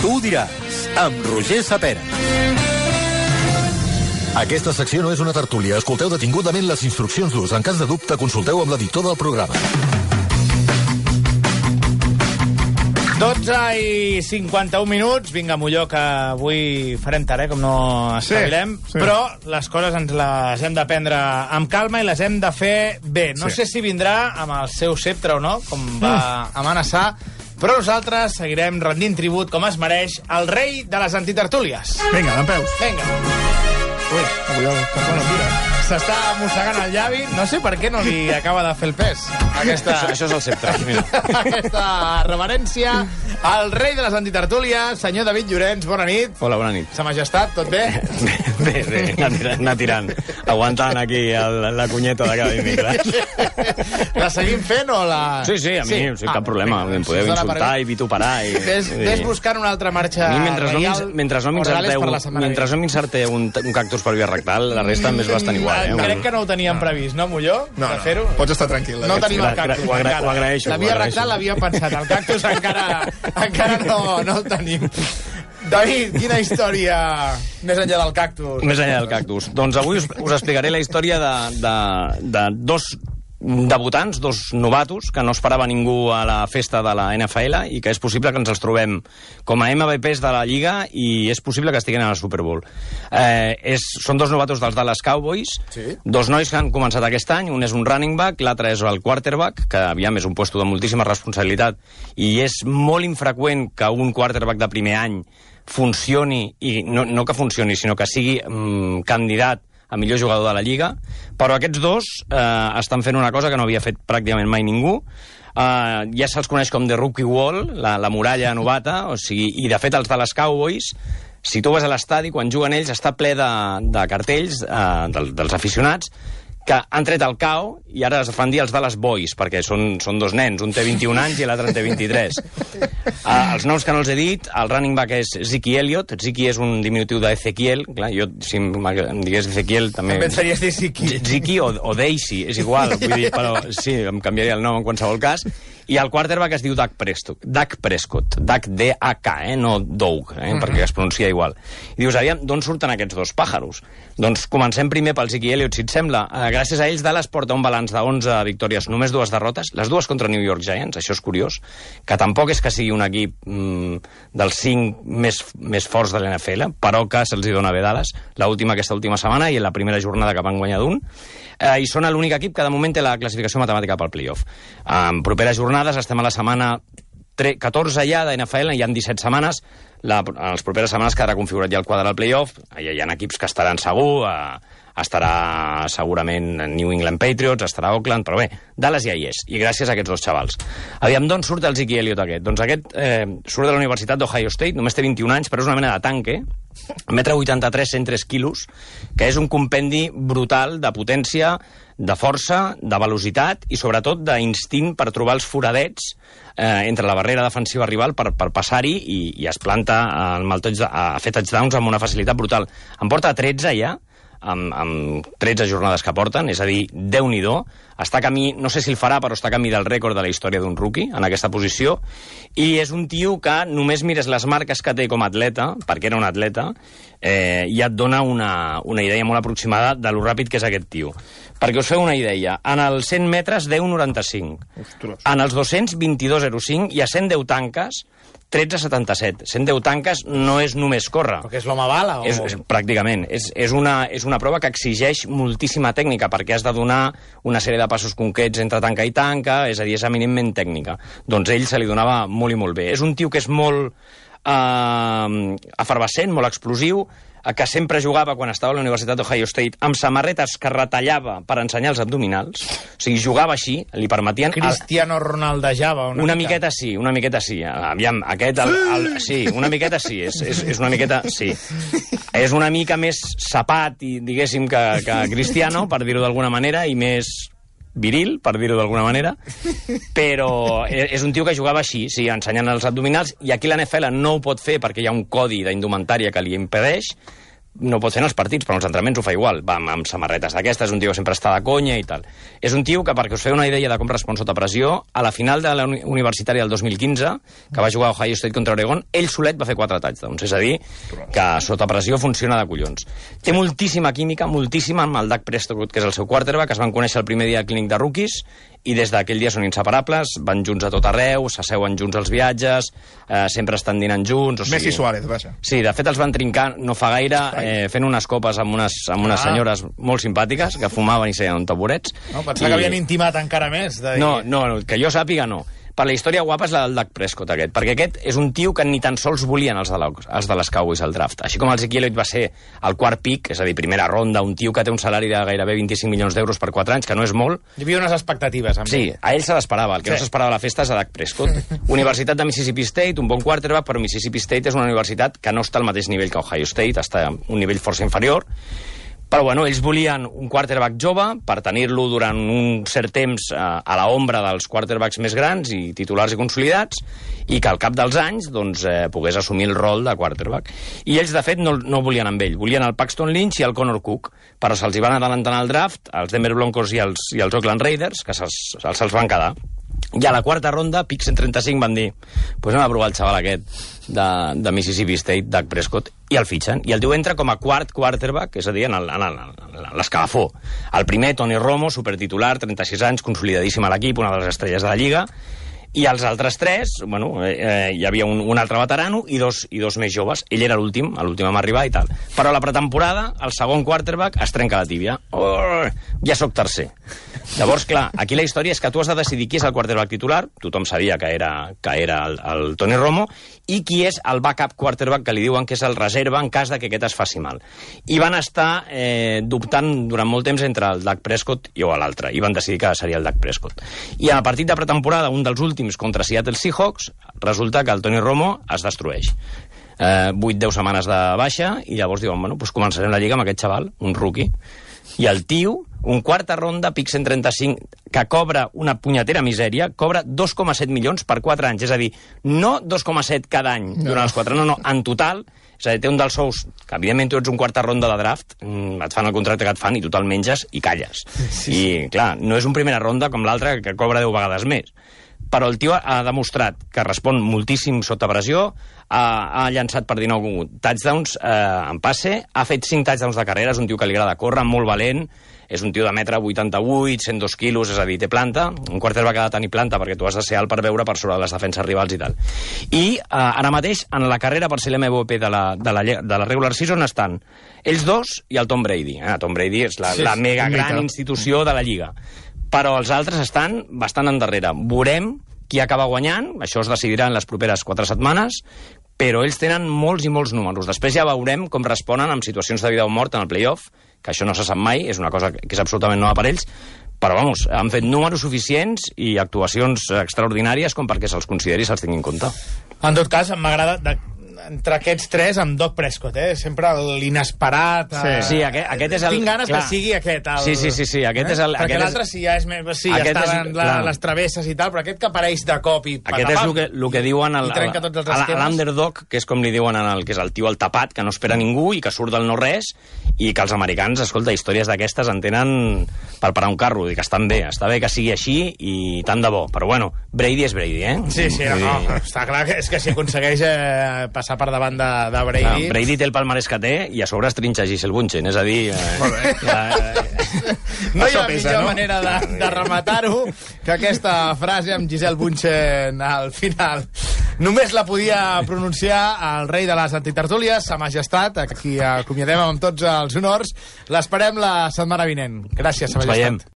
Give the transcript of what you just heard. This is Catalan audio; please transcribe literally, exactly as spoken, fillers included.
Tu ho diràs, amb Roger Sapera. Aquesta secció no és una tertúlia. Escolteu detingudament les instruccions d'ús. En cas de dubte, consulteu amb l'editor del programa. dotze i cinquanta-un minuts. Vinga, Molló, que avui farem tard, eh, com no espavilem. Sí, sí. Però les coses ens les hem de prendre amb calma i les hem de fer bé. No sí. sé si vindrà amb el seu sceptre o no, com va mm. amenaçar, però nosaltres seguirem rendint tribut, com es mereix, al rei de les antitertúlies. Vinga, dempeus. Vinga. Ui, bueno, mira, s'està mossegant el llavi. No sé per què no li acaba de fer el pes. Aquesta... Això, això és el sceptre. Mira. Aquesta reverència al rei de les antitertúlies, senyor David Llorenç. Bona nit. Hola, bona nit. Sa majestat, tot bé? Bé, bé, anar tirant. Aguantant aquí el, la cunyeta de cada dimecres. La seguim fent o la... Sí, sí, a mi sí. Sí, cap ah, problema. Em podeu insultar i vituperar. I... Ves, ves buscant una altra marxa a mi, mentre reial. No mentre no m'inserteu mentre no m'inserteu un, un cactus per via rectal, la resta més bastant igual. Eh? Crec que no ho teníem previst, no, Molló? No, no, pots estar tranquil. No tenim el cactus. Ho, agra ho agraeixo. La via rectal l'havíem pensat, el cactus encara, encara no, no el tenim. David, quina història més enllà del cactus? Més enllà del cactus. Doncs avui us, us explicaré la història de, de, de dos debutants, dos novatos, que no esperava ningú a la festa de la N F L i que és possible que ens els trobem com a M V Ps de la Lliga i és possible que estiguin a la Super Bowl. Eh, és, són dos novatos dels Dallas Cowboys, sí. Dos nois que han començat aquest any, un és un running back, l'altre és el quarterback, que aviam és un puesto de moltíssima responsabilitat i és molt infreqüent que un quarterback de primer any funcioni, i no, no que funcioni, sinó que sigui mm, candidat a millor jugador de la Lliga, però aquests dos eh, estan fent una cosa que no havia fet pràcticament mai ningú. Eh, ja se'ls coneix com The Rookie Wall, la, la muralla novata, o sigui, i de fet els de les Cowboys, si tu vas a l'estadi, quan juguen ells, està ple de, de cartells eh, del, dels aficionats, que han tret el C A O i ara es fan dir els Dallas Boys, perquè són, són dos nens, un té vint-i-un anys i l'altre en té vint-i-tres. Uh, els noms que no els he dit, el running back és Ziki Elliott. Ziki és un diminutiu d'Ezequiel. Clar, jo, si em digués Ezequiel, també... Em pensaries de Ziki. Ziki o, o Daisy, és igual. Vull dir, però sí, em canviaria el nom en qualsevol cas. I el quarterback es diu Dak Prescott. Dak Prescott. Dak D A K, eh? No Doug, eh? Mm-hmm. Perquè es pronuncia igual. I dius, aviam, d'on surten aquests dos pàjaros? Doncs comencem primer pel Ziki Elliott, si et sembla. Uh, gràcies a ells, Dallas porta un balanç de onze victòries, només dues derrotes, les dues contra New York Giants, això és curiós, que tampoc és que sigui un equip mm, dels cinc més, més forts de l'N F L, però que se'ls hi dona bé Dallas, l'última aquesta última setmana i en la primera jornada que van guanyar d'un, eh, i són l'únic equip que de moment té la classificació matemàtica pel playoff. En properes jornades, estem a la setmana catorze ja de N F L, hi ha disset setmanes, la, en les properes setmanes quedarà configurat ja el quadre del playoff, hi, hi ha equips que estaran segur, eh, estarà segurament New England Patriots, estarà Oakland, però bé, Dallas ja hi és, i gràcies a aquests dos xavals. Aviam, d'on surt el Ziki Elliott aquest? Doncs aquest eh, surt de la Universitat d'Ohio State, només té vint-i-un anys, però és una mena de tanque, metre vuitanta-tres, cent tres quilos, que és un compendi brutal de potència, de força, de velocitat i sobretot d'instint per trobar els foradets eh, entre la barrera defensiva rival per, per passar-hi i, i es planta amb el touch, a fer touchdowns amb una facilitat brutal. En porta tretze ja, amb, amb tretze jornades que porten, és a dir, Déu-n'hi-do, està a camí, no sé si el farà, però està a camí del rècord de la història d'un rookie en aquesta posició, i és un tio que només mires les marques que té com a atleta, perquè era un atleta, eh, i et dona una, una idea molt aproximada de lo ràpid que és aquest tio. Perquè us feu una idea, en els cent metres, deu noranta-cinc. Ostres. En els dos-cents, vint-i-dos zero cinc, i a cent deu tanques, tretze setanta-set. cent deu tanques no és només córrer. Perquè és l'home bala? O... És, és, pràcticament. És, és, una, és una prova que exigeix moltíssima tècnica, perquè has de donar una sèrie de passos concrets entre tanca i tanca, és a dir, és eminentment tècnica. Doncs ell se li donava molt i molt bé. És un tio que és molt eh, efervescent, molt explosiu, que sempre jugava, quan estava a la Universitat d'Ohio State, amb samarretes que retallava per ensenyar els abdominals. O sigui, jugava així, li permetien... Cristiano Ronaldejava una, una miqueta. miqueta sí, una miqueta sí. Aviam, aquest... El, el, sí, una miqueta sí, és, és, és una miqueta... Sí. És una mica més sapat, i diguéssim, que, que Cristiano, per dir-ho d'alguna manera, i més viril, per dir-ho d'alguna manera, però és un tio que jugava així, sí, ensenyant els abdominals, i aquí la N F L no ho pot fer perquè hi ha un codi d'indumentària que li impedeix, no pot fer en els partits, però en els entrenaments ho fa igual. Va amb samarretes d'aquestes, és un tio que sempre està de conya i tal. És un tio que, perquè us feu una idea de com respon sota pressió, a la final de la universitària del dos mil quinze, que va jugar a Ohio State contra Oregon, ell solet va fer quatre touchdowns. És a dir, que sota pressió funciona de collons. Té moltíssima química, moltíssima, amb el Dak Prescott, que és el seu quarterback, es van conèixer el primer dia al clínic de rookies, i des d'aquell dia són inseparables, van junts a tot arreu, s'asseuen junts als viatges, eh, sempre estan dinant junts... O sigui... Messi Suárez, vaja. Sí, de fet els van trincar no fa gaire, eh, fent unes copes amb unes, amb unes ah. senyores molt simpàtiques, que fumaven i seien taburets. No, pensava I... que havien intimat encara més. De dir... No, no, que jo sàpiga no. Per la història guapa és la del Dak Prescott, aquest, perquè aquest és un tio que ni tan sols volien els de, la, els de les Cowboys al draft. Així com el Zeke Elliott va ser el quart pick, és a dir, primera ronda, un tio que té un salari de gairebé vint-i-cinc milions d'euros per quatre anys, que no és molt. Hi havia unes expectatives. Amb sí, a ell se l'esperava. El que sí. no s'esperava a la festa és a Dak Prescott. Universitat de Mississippi State, un bon quarterback, però Mississippi State és una universitat que no està al mateix nivell que Ohio State, està a un nivell força inferior. Però, bueno, ells volien un quarterback jove per tenir-lo durant un cert temps eh, a la ombra dels quarterbacks més grans i titulars i consolidats, i que al cap dels anys doncs, eh, pogués assumir el rol de quarterback. I ells, de fet, no, no volien amb ell. Volien el Paxton Lynch i el Connor Cook, però se'ls van adelantar al draft els Denver Broncos i els, i els Oakland Raiders, que se'ls se se'ls van quedar. I a la quarta ronda, pick cent trenta-cinc, van dir pues anem a provar el xaval aquest de, de Mississippi State, Dak Prescott, i el fitxen. I el tio entra com a quart quarterback, és a dir, en l'escalafó. El primer, Tony Romo, supertitular, trenta-sis anys, consolidadíssim a l'equip, una de les estrelles de la Lliga. I els altres tres, bueno, eh, hi havia un, un altre veterano i dos, i dos més joves. Ell era l'últim, l'últim a arribar i tal. Però a la pretemporada, el segon quarterback es trenca la tíbia. Oh, ja sóc tercer. Llavors, clar, aquí la història és que tu has de decidir qui és el quarterback titular, tothom sabia que era, que era el, el Tony Romo, i qui és el backup quarterback, que li diuen que és el reserva en cas de que aquest es faci mal. I van estar eh, dubtant durant molt temps entre el Dak Prescott i o l'altre, i van decidir que seria el Dak Prescott. I al partit de pretemporada, un dels últims contra Seattle Seahawks, resulta que el Tony Romo es destrueix. Eh, vuit deu setmanes de baixa, i llavors diuen, bueno, doncs començarem la lliga amb aquest xaval, un rookie. I el tio, un quarta ronda, pick cent trenta-cinc, que cobra una punyetera misèria, cobra dos coma set milions per quatre anys. És a dir, no dos coma set cada any durant no. els quatre, no, no, en total. És a dir, té un dels sous, que evidentment tu ets un quarta ronda de draft, et fan el contracte que et fan i tu te'l menges i calles. Sí. I, clar, no és un primera ronda com l'altre, que cobra deu vegades més. Però el tio ha demostrat que respon moltíssim sota pressió, ha, ha llançat per dinou touchdowns eh, en passe, ha fet cinc touchdowns de carrera, és un tio que li agrada córrer, molt valent, és un tio de metre vuitanta-vuit, cent dos quilos, és a dir, té planta, un quarterback ha de tenir planta perquè tu has de ser alt per veure per sobre les defenses rivals i tal. I eh, ara mateix, en la carrera per ser l'M V P de la, de, la, de la regular season estan ells dos i el Tom Brady. Eh? Tom Brady és la, sí, la mega gran institució de la Lliga. Però els altres estan bastant endarrere. Veurem qui acaba guanyant, això es decidirà en les properes quatre setmanes, però ells tenen molts i molts números. Després ja veurem com responen amb situacions de vida o mort en el playoff, que això no se sap mai, és una cosa que és absolutament nova per ells, però, vamos, han fet números suficients i actuacions extraordinàries com perquè se'ls consideri i se'ls tingui en compte. En tot cas, m'agrada... De... entre aquests tres, amb Dak Prescott, eh? Sempre l'inesperat... Sí, sí aquest, aquest és el... Tinc ganes clar. que sigui aquest. El... Sí, sí, sí, sí, aquest eh? és el... Perquè l'altre és... sí, ja és més... Sí, ja estaven la, les travesses i tal, però aquest que apareix de cop i... Aquest és el que, el que diuen al, a l'underdog, que és com li diuen en el, que és el tio al tapat, que no espera ningú i que surt del no-res, i que els americans, escolta, històries d'aquestes en tenen per parar un carro, i que estan bé, està bé que sigui així i tant de bo. Però bueno, Brady és Brady, eh? Sí, sí, no, no, està clar que és que si aconsegueix eh, passar per davant de, de Brady... Ah, Brady té el palmarès que té i a sobre es trinxa Gisele Bündchen, és a dir... Eh, Molt bé. Ja, eh, no hi ha pesa, millor no? manera de, de rematar-ho que aquesta frase amb Gisele Bündchen al final. Només la podia pronunciar el rei de les antitertúlies, Sa Majestat, a qui acomiadem amb tots els honors. L'esperem la setmana vinent. Gràcies, Sa Majestat.